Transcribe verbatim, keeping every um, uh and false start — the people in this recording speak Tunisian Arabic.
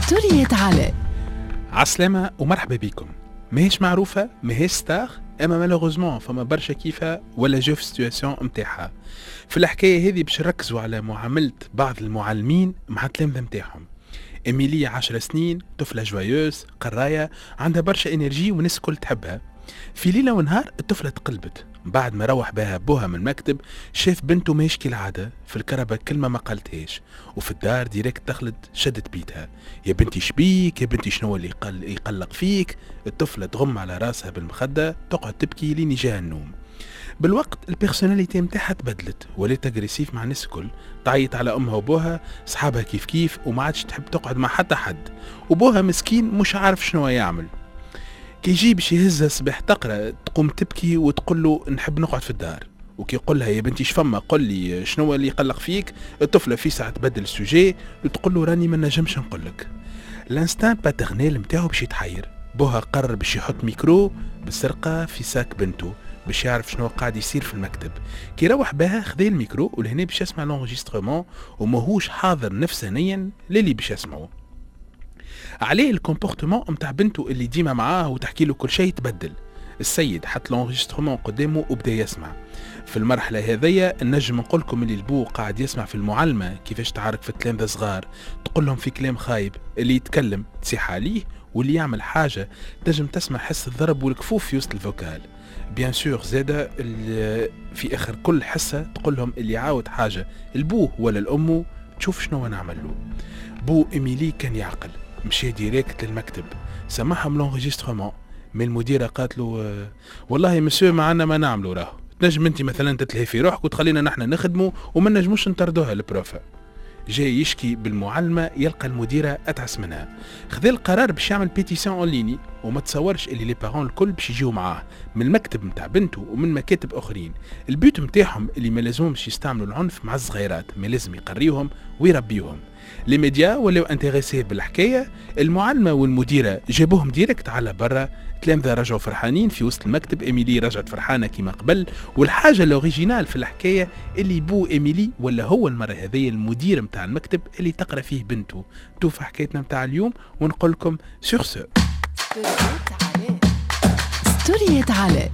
ستوريات علاء. عسلامة ومرحبا بكم. ماهيش معروفة، ماهيش star، اما malheureusement فما برشا كيفها ولا جاو في situation نتاعها. في الحكاية هذه باش نركزوا على معاملة بعض المعلمين مع التلامذة نتاعهم. إيميلي عشر سنين، طفلة joyeuse، قراية، عندها برشا énergie والناس الكل تحبها. في ليلة ونهار الطفلة تقلبت. بعد ما روح بها بوها من المكتب شاف بنته ماهيش كالعادة، في الكرهبة كلمة ما قالتهاش، وفي الدار direct دخلت شدت بيتها. يا بنتي شبيك، يا بنتي شنو اللي يقل يقلق فيك؟ الطفلة تغم على راسها بالمخدة، تقعد تبكي لين يجاها النوم. بالوقت ال personnalité نتاعها تبدلت، ولات agressive مع الناس الكل، تعيط على امها وبوها، صحابها كيف كيف، وما عادش تحب تقعد مع حتى حد. وبوها مسكين مش عارف شنو يعمل. كي يجي باش يهزها الصباح تقرا تقوم تبكي وتقول له نحب نقعد في الدار. وكي يقول لها يا بنتي شفما، قل لي شنو اللي يقلق فيك، الطفلة في ساعة تبدل ال sujet وتقول له راني ما نجمش نقول لك. l'instinct paternel نتاعو باش يتحير. بوها قرر باش يحط ميكرو بالسرقة في sac بنته باش يعرف شنو قاعد يصير في المكتب. كي روح بها خذا الميكرو ولهنا باش يسمع l'enregistrement وماهوش حاضر نفسانيا للي باش يسمعه. عليه ال comportement نتاع بنته اللي ديما معاه وتحكي له كل شيء تبدل. السيد حط l'enregistrement قدامه وبدا يسمع. في المرحلة هذيا نجم نقول لكم اللي البو قاعد يسمع في المعلمة كيفاش تعارك في التلامذه صغار، تقول لهم في كلام خايب، اللي يتكلم تصيح عليه، واللي يعمل حاجة تنجم تسمع حس الضرب والكفوف في وسط ال vocal. bien sûr زاده في اخر كل حصة تقول لهم اللي عاود حاجة البوة ولا الامة تشوف شنو نعمل له. بو إيميلي كان يعقل، مشى direct للمكتب سمعهم l'enregistrement. من المديرة قالت له والله مسيو ما عندنا ما نعملوا، راهو تنجم انت مثلا تتلهي في روحك وتخلينا نحن نخدموا وما نجموش نطردوها ال prof. جاي يشكي بالمعلمه يلقى المديرة اتعس منها. خذا القرار باش يعمل pétition en ligne، وما تصورش اللي les parents الكل باش يجيو معاه من المكتب نتاع بنته ومن مكاتب اخرين. ال but نتاعهم اللي ما لازمهمش يستعملوا العنف مع الصغيرات، ما لازم يقريوهم ويربيوهم. les médias ولاو intéressés بالحكاية، المعلمة والمديره جابوهم direct على برا. تلامذه رجعوا فرحانين في وسط المكتب، ايميلي رجعت فرحانة كما قبل. والحاجة l'originale في الحكاية اللي بو ايميلي ولا هو المرة هذه المدير نتاع المكتب اللي تقرا فيه بنته. توفى حكايتنا نتاع اليوم ونقول لكم sur ce ستوريات علاء.